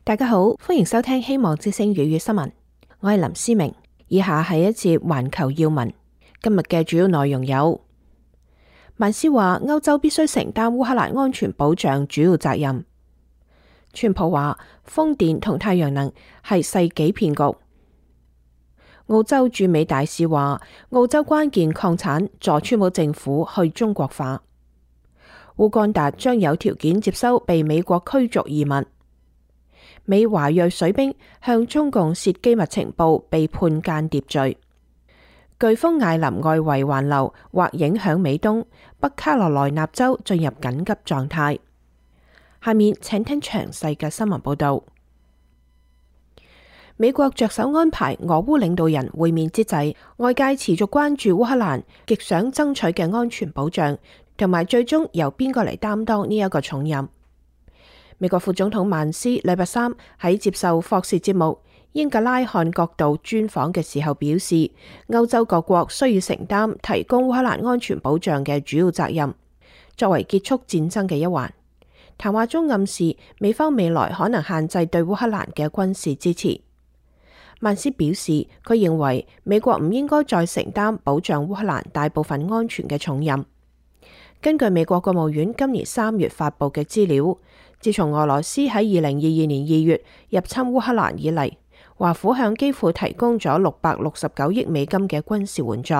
大家好，歡迎收聽希望之聲粵語新聞，我係林思明。以下係一節環球要聞，今日嘅主要內容有：曼斯話歐洲必須承擔烏克蘭安全保障主要責任；川普話風電同太陽能係世紀騙局；澳洲駐美大使話澳洲關鍵礦產助川普政府去中國化；烏干達將有條件接收被美國驅逐移民；美華裔水兵向中共洩機密情報被判間諜罪；颶風艾琳外圍環流或影響美東，北卡羅來納州進入緊急狀態。下面請聽詳細嘅新聞報道。美國着手安排俄烏領導人會面之際，外界持續關注烏克蘭極想爭取嘅安全保障，同埋最終由邊個嚟擔當呢一個重任。美國副總統曼斯禮拜三喺接受霍士節目《英格拉漢角度》專訪嘅時候表示，歐洲各國需要承擔提供烏克蘭安全保障嘅主要責任，作為結束戰爭嘅一環。談話中暗示美方未來可能限制對烏克蘭嘅軍事支持。曼斯表示，佢認為美國唔應該再承擔保障烏克蘭大部分安全嘅重任。根據美國國務院今年3月發佈嘅資料，自從俄羅斯喺2022年2月入侵烏克蘭以嚟，華府向基輔提供咗669億美金嘅軍事援助。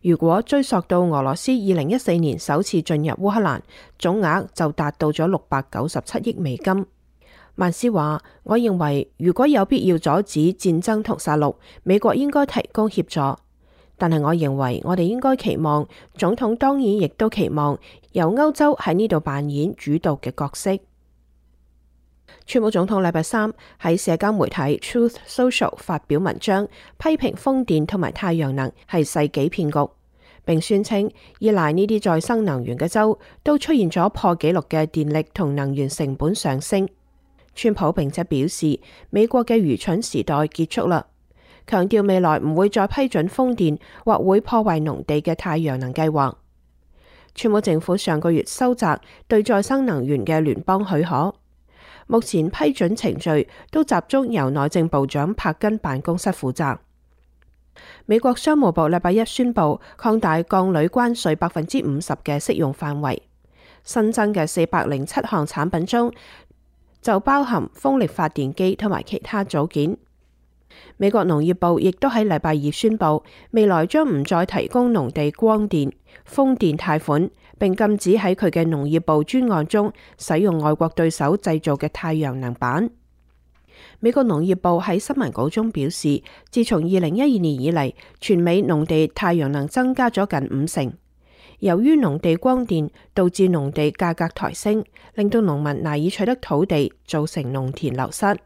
如果追溯到俄羅斯2014年首次進入烏克蘭，總額就達到咗697億美金。曼斯話：我認為如果有必要阻止戰爭同殺戮，美國應該提供協助。但係我認為我哋應該期望，總統當然亦都期望由歐洲喺呢度扮演主導嘅角色。川普總統禮拜三喺社交媒體 Truth Social 發表文章，批評風電同埋太陽能係世紀騙局，並宣稱依賴呢啲再生能源嘅州都出現咗破紀錄嘅電力同能源成本上升。川普並且表示，美國嘅愚蠢時代結束啦，強調未來唔會再批准風電或會破壞農地嘅太陽能計劃。川普政府上個月收窄對再生能源嘅聯邦許可，目前批准程序都集中由內政部長柏根辦公室負責。美國商務部禮拜一宣布擴大鋼鋁關稅50%嘅適用範圍，新增嘅407項產品中就包含風力發電機同埋其他組件。美國農業部亦都喺禮拜二宣布，未來將唔再提供農地光電、風電貸款，並禁止喺佢嘅農業部專案中使用外國對手製造嘅太陽能板。美國農業部喺新聞稿中表示，自從2012年以嚟，全美農地太陽能增加咗近50%。由於農地光電導致農地價格抬升，令到農民難以取得土地，造成農田流失。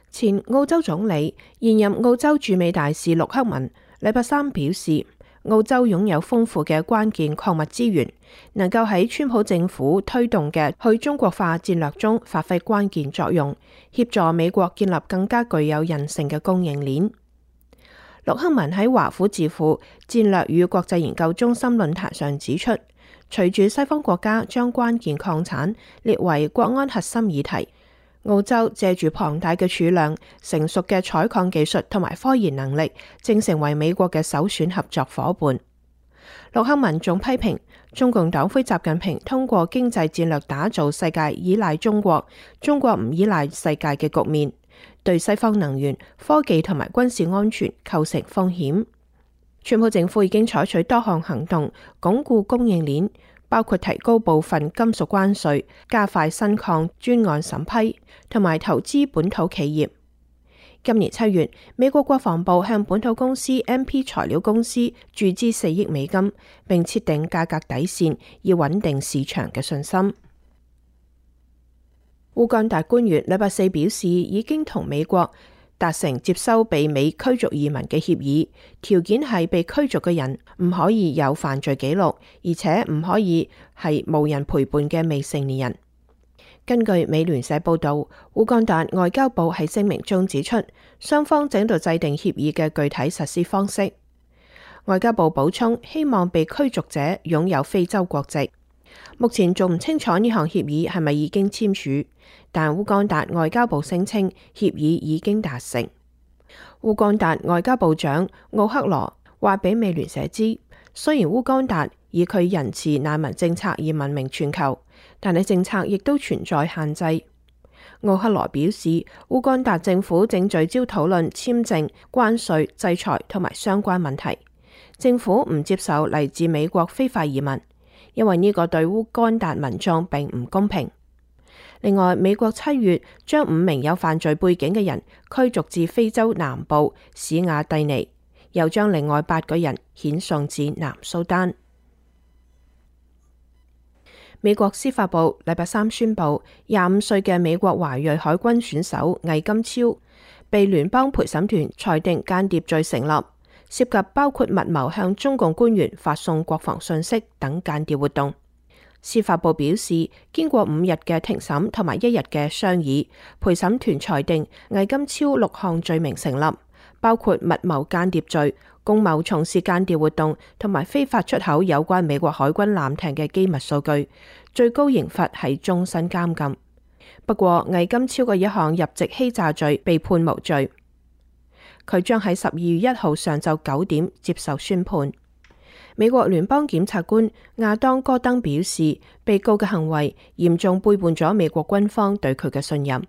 前澳洲總理、現任澳洲駐美大使陸克文禮拜三表示，澳洲擁有豐富嘅關鍵礦物資源，能夠喺川普政府推動嘅去中國化戰略中發揮關鍵作用，協助美國建立更加具有韌性嘅供應鏈。陸克文喺華府智庫戰略與國際研究中心論壇上指出，隨住西方國家將關鍵礦產列為國安核心議題，澳洲借住龐大嘅儲量、成熟嘅採礦技術同埋科研能力，正成為美國嘅首選合作夥伴。陸克文仲批評中共黨魁習近平通過經濟戰略打造世界依賴中國，中國唔依賴世界嘅局面，對西方能源、科技同埋軍事安全構成風險。川普政府已經採取多項行動，鞏固供應鏈，包括提高部分金屬關稅、加快新礦專案審批，同埋投資本土企業。今年7月，美國國防部向本土公司 MP 材料公司注資4億美金，並設定價格底線，以穩定市場嘅信心。烏干達官員禮拜四表示，已經同美國達成接收被美驅逐移民嘅協議，條件係被驅逐嘅人唔可以有犯罪記錄，而且唔可以係無人陪伴嘅未成年人。根據美聯社報導，烏干達外交部喺聲明中指出，雙方正在制定協議嘅具體實施方式。外交部補充，希望被驅逐者擁有非洲國籍。目前仲唔清楚呢項協議係咪已經簽署，但烏干達外交部聲稱協議已經達成。烏干達外交部長奧克羅話俾美聯社知，雖然烏干達以佢仁慈難民政策而聞名全球，但係政策亦都存在限制。奧克羅表示，烏干達政府正聚焦討論簽證、關稅、制裁同埋相關問題。政府唔接受嚟自美國非法移民，因為呢個對烏干達民眾並唔公平。另外，美國7月將5名有犯罪背景嘅人驅逐至非洲南部史亞蒂尼，又將另外8個人遣送至南蘇丹。美國司法部禮拜三宣布，25歲嘅美國華裔海軍選手魏金超被聯邦陪審團裁定間諜罪成立，涉及包括密謀向中共官員發送國防信息等間諜活動。司法部表示，經過5日嘅庭審同埋1日嘅商議，陪審團裁定魏金超6項罪名成立，包括密謀間諜罪、共謀從事間諜活動同埋非法出口有關美國海軍艦艇嘅機密數據，最高刑罰係終身監禁。不過，魏金超嘅一項入籍欺詐罪被判無罪，佢將喺12月1號上晝9點接受宣判。美國聯邦檢察官亞當戈登表示，被告嘅行為嚴重背叛咗美國軍方對佢嘅信任。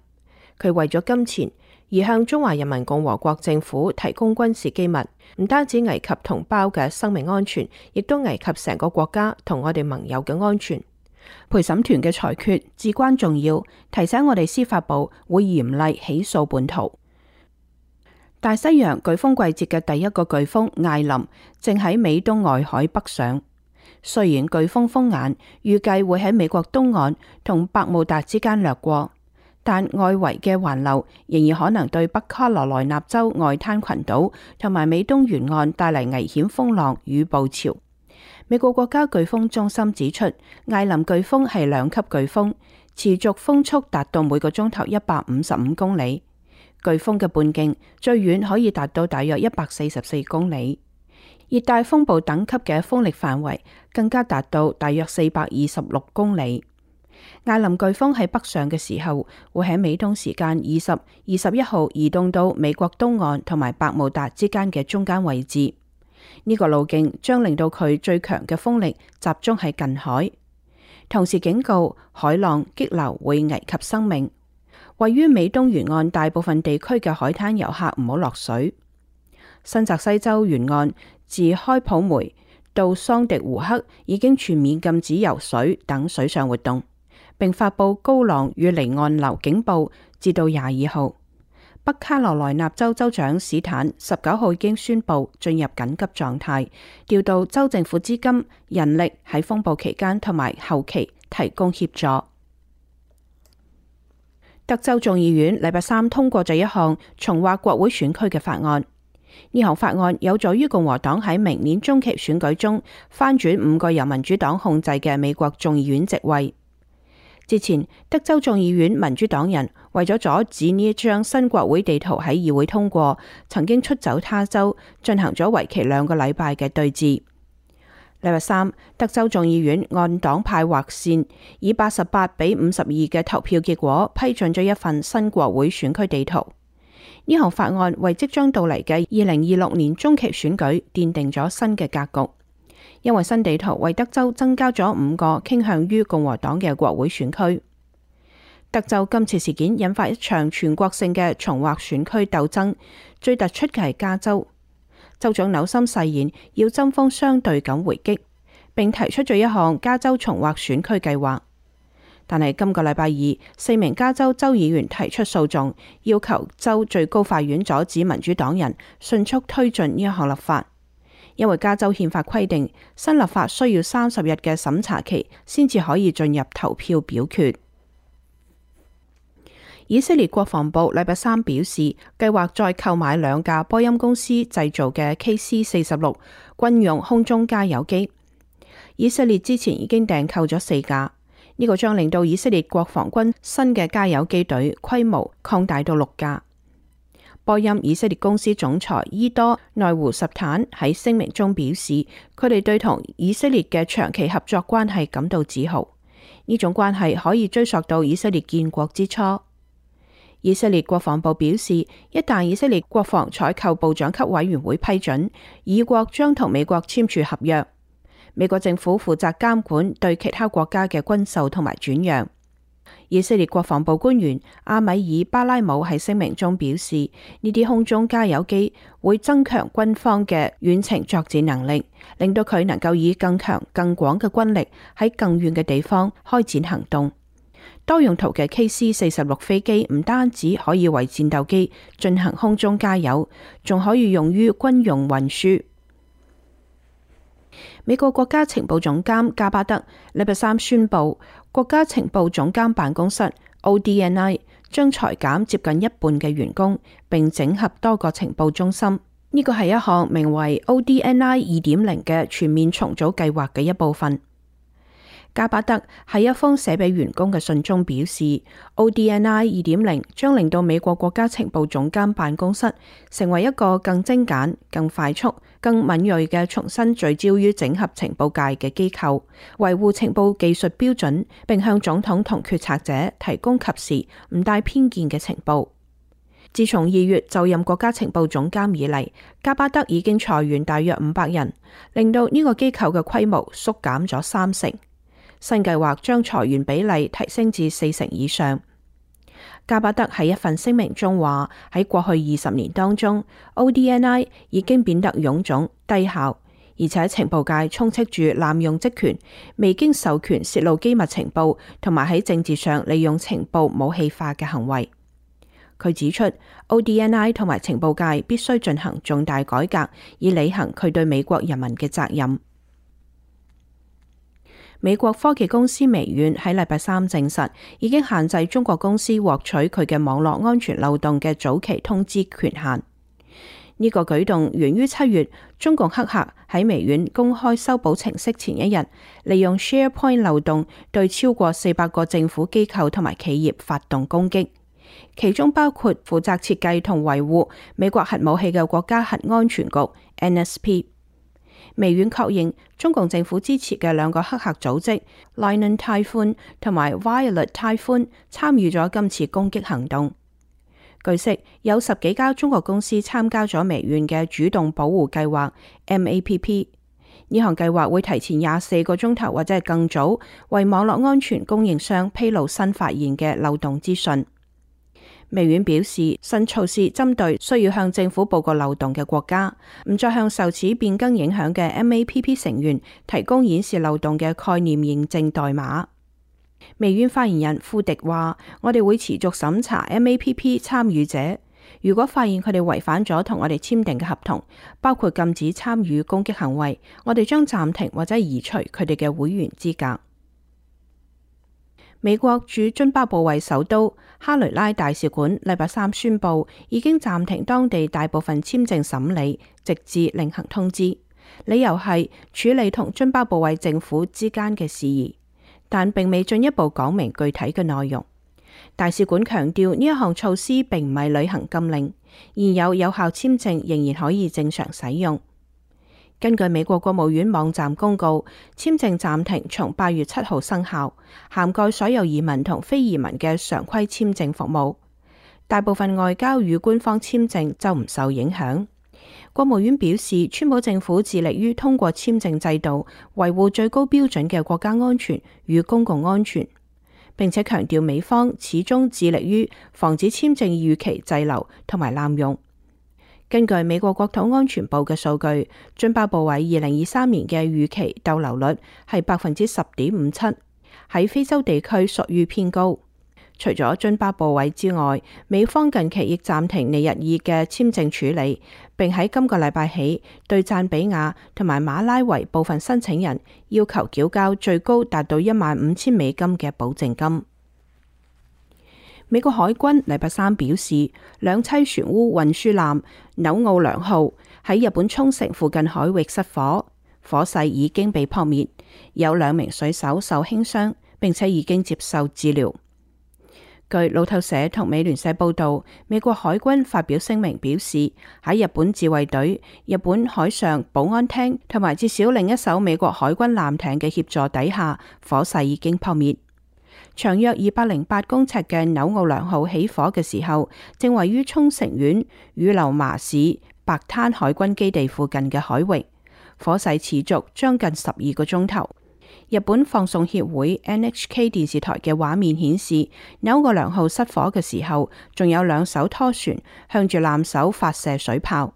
佢為咗金錢而向中華人民共和國政府提供軍事機密，唔單止危及同胞嘅生命安全，亦都危及成個國家同我哋盟友嘅安全。陪審團嘅裁決至關重要，提醒我哋司法部會嚴厲起訴叛徒。大西洋颶風季節嘅第一個颶風艾琳正喺美東外海北上。雖然颶風風眼預計會喺美國東岸同百慕達之間掠過，但外圍嘅環流仍然可能對北卡羅來納州外灘群島同埋美東沿岸帶嚟危險風浪與暴潮。美國國家颶風中心指出，艾琳颶風係2級颶風，持續風速達到每個鐘頭155公里。颶風嘅半徑最遠可以達到大約144公里，熱帶風暴等級嘅風力範圍更加達到大約426公里。艾琳颶風喺北上嘅時候，會喺美東時間20、21號移動到美國東岸同埋百慕達之間嘅中間位置。呢個路徑將令到佢最強嘅風力集中喺近海，同時警告海浪激流會危及生命。位於美東沿岸大部分地區嘅海灘遊客唔好落水。新澤西州沿岸自開普梅到桑迪湖克已經全面禁止游水等水上活動，並發佈高浪與離岸流警報至到22號。北卡羅來納州州長史坦19號已經宣布進入緊急狀態，調到州政府資金、人力喺風暴期間同埋後期提供協助。德州眾議院禮拜三通過咗一項重劃國會選區嘅法案。呢項法案有助於共和黨喺明年中期選舉中翻轉5個由民主黨控制嘅美國眾議院席位。之前，德州眾議院民主黨人為咗阻止呢一張新國會地圖喺議會通過，曾經出走他州，進行咗為期2個禮拜嘅對峙。禮拜三，德州眾議院按黨派劃線，以88比52嘅投票結果批准咗一份新國會選區地圖。呢項法案為即將到嚟嘅2026年中期選舉奠定咗新嘅格局，因為新地圖為德州增加咗5個傾向於共和黨嘅國會選區。德州今次事件引發一場全國性嘅重劃選區鬥爭，最突出嘅係加州。州長紐森誓言要針鋒相對咁回擊，並提出咗一項加州重劃選區計劃。但係今個禮拜2，4名加州州議員提出訴訟，要求州最高法院阻止民主黨人迅速推進呢一項立法，因為加州憲法規定新立法需要30日嘅審查期先至可以進入投票表決。以色列國防部禮拜三表示，計劃再購買2架波音公司製造嘅 KC-46軍用空中加油機。以色列之前已經訂購咗4架，呢個將令到以色列國防軍新嘅加油機隊規模擴大到6架。波音以色列公司總裁伊多內胡什坦喺聲明中表示，佢哋對同以色列嘅長期合作關係感到自豪。呢種關係可以追溯到以色列建國之初。以色列國防部表示，一旦以色列國防採購部長級委員會批准，以國將同美國簽署合約。美國政府負責監管對其他國家嘅軍售同埋轉讓。以色列國防部官員阿米爾巴拉姆喺聲明中表示，呢啲空中加油機會增強軍方嘅遠程作戰能力，令到佢能夠以更強更廣嘅軍力喺更遠嘅地方開展行動。多用途嘅 KC-46飛機唔單止可以為戰鬥機進行空中加油，仲可以用於軍用運輸。美國國家情報總監加巴德禮拜三宣布，國家情報總監辦公室 ODNI 將裁減接近一半嘅員工，並整合多個情報中心。呢個係一項名為 ODNI 2.0嘅全面重組計劃嘅一部分。加巴德喺一封寫俾員工嘅信中表示，ODNI 2.0將令到美國國家情報總監辦公室成為一個更精簡、更快速、更敏銳嘅重新聚焦於整合情報界嘅機構，維護情報技術標準，並向總統同決策者提供及時、唔帶偏見嘅情報。自從2月就任國家情報總監以嚟，加巴德已經裁員大約500人，令到呢個機構嘅規模縮減咗30%。新計劃將裁員比例提升至40%以上。加巴德喺一份聲明中話，喺過去20年當中 ，ODNI 已經變得臃腫低效，而且情報界充斥住濫用職權、未經授權泄露機密情報同埋喺政治上利用情報武器化嘅行為。佢指出 ，ODNI 同埋情報界必須進行重大改革，以履行佢對美國人民嘅責任。美國科技公司微軟喺禮拜三證實，已經限制中國公司獲取佢嘅網絡安全漏洞嘅早期通知權限。呢個舉動源於7月，中共黑客喺微軟公開修補程式前一日，利用 SharePoint 漏洞對超過400個政府機構同埋企業發動攻擊，其中包括負責設計同維護美國核武器嘅國家核安全局 NSP。微軟確認，中共政府支持嘅2個黑客組織 Lion Typhoon 同埋 Violet Typhoon 參與咗今次攻擊行動。據悉，有10幾家中國公司參加咗微軟嘅主動保護計劃 MAPP。呢項計劃會提前24個鐘頭或者係更早，為網絡安全供應商披露新發現嘅漏洞資訊。微軟表示，新措施針對需要向政府報告漏洞嘅國家，唔再向受此變更影響嘅 MAPP 成員提供顯示漏洞嘅概念認證代碼。微軟發言人庫迪話：我哋會持續審查 MAPP 參與者，如果發現佢哋違反咗同我哋簽訂嘅合同，包括禁止參與攻擊行為，我哋將暫停或者移除佢哋嘅會員資格。美國駐津巴布韋首都哈雷拉大使館禮拜三宣布，已經暫停當地大部分簽證審理，直至另行通知。理由係處理同津巴布韋政府之間嘅事宜，但並未進一步講明具體嘅內容。大使館強調，呢一項措施並唔係旅行禁令，現有有效簽證仍然可以正常使用。根據美國國務院網站公告，簽證暫停從8月7號生效，涵蓋所有移民同非移民嘅常規簽證服務。大部分外交與官方簽證就唔受影響。國務院表示，川普政府致力於通過簽證制度維護最高標準嘅國家安全與公共安全，並且強調美方始終致力於防止簽證逾期滯留同埋濫用。根據美國國土安全部嘅數據，津巴布韋2023年嘅逾期逗留率係10.57%，喺非洲地區屬於偏高。除咗津巴布韋之外，美方近期亦暫停尼日爾嘅簽證處理，並喺今個禮拜起對贊比亞同埋馬拉維部分申請人要求繳交最高達到$15,000嘅保證金。美國海軍禮拜三表示，2棲船塢運輸艦紐奧良號喺日本沖繩附近海域失火，火勢已經被撲滅，有2名水手受輕傷，並且已經接受治療。據路透社同美聯社報道，美國海軍發表聲明表示，喺日本自衛隊、日本海上保安廳同埋至少另一艘美國海軍艦艇嘅協助底下，火勢已經撲滅。長約208公尺嘅紐奧良號起火嘅時候，正位於沖繩縣羽流麻市白灘海軍基地附近嘅海域，火勢持續將近12個鐘頭。日本放送協會 NHK 電視台嘅畫面顯示，紐奧良號失火嘅時候，仲有2艘拖船向住艦首發射水炮。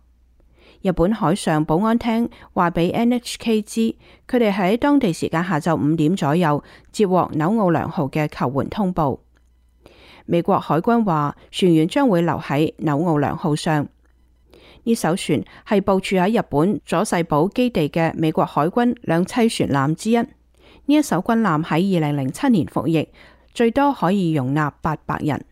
日本海上保安廳話俾 NHK 知，佢哋喺當地時間下晝5點左右接獲紐奧良號嘅求援通報。美國海軍話，船員將會留喺紐奧良號上。呢艘船係部署喺日本佐世保基地嘅美國海軍兩棲船艦之一。呢一艘軍艦喺2007年服役，最多可以容納800人。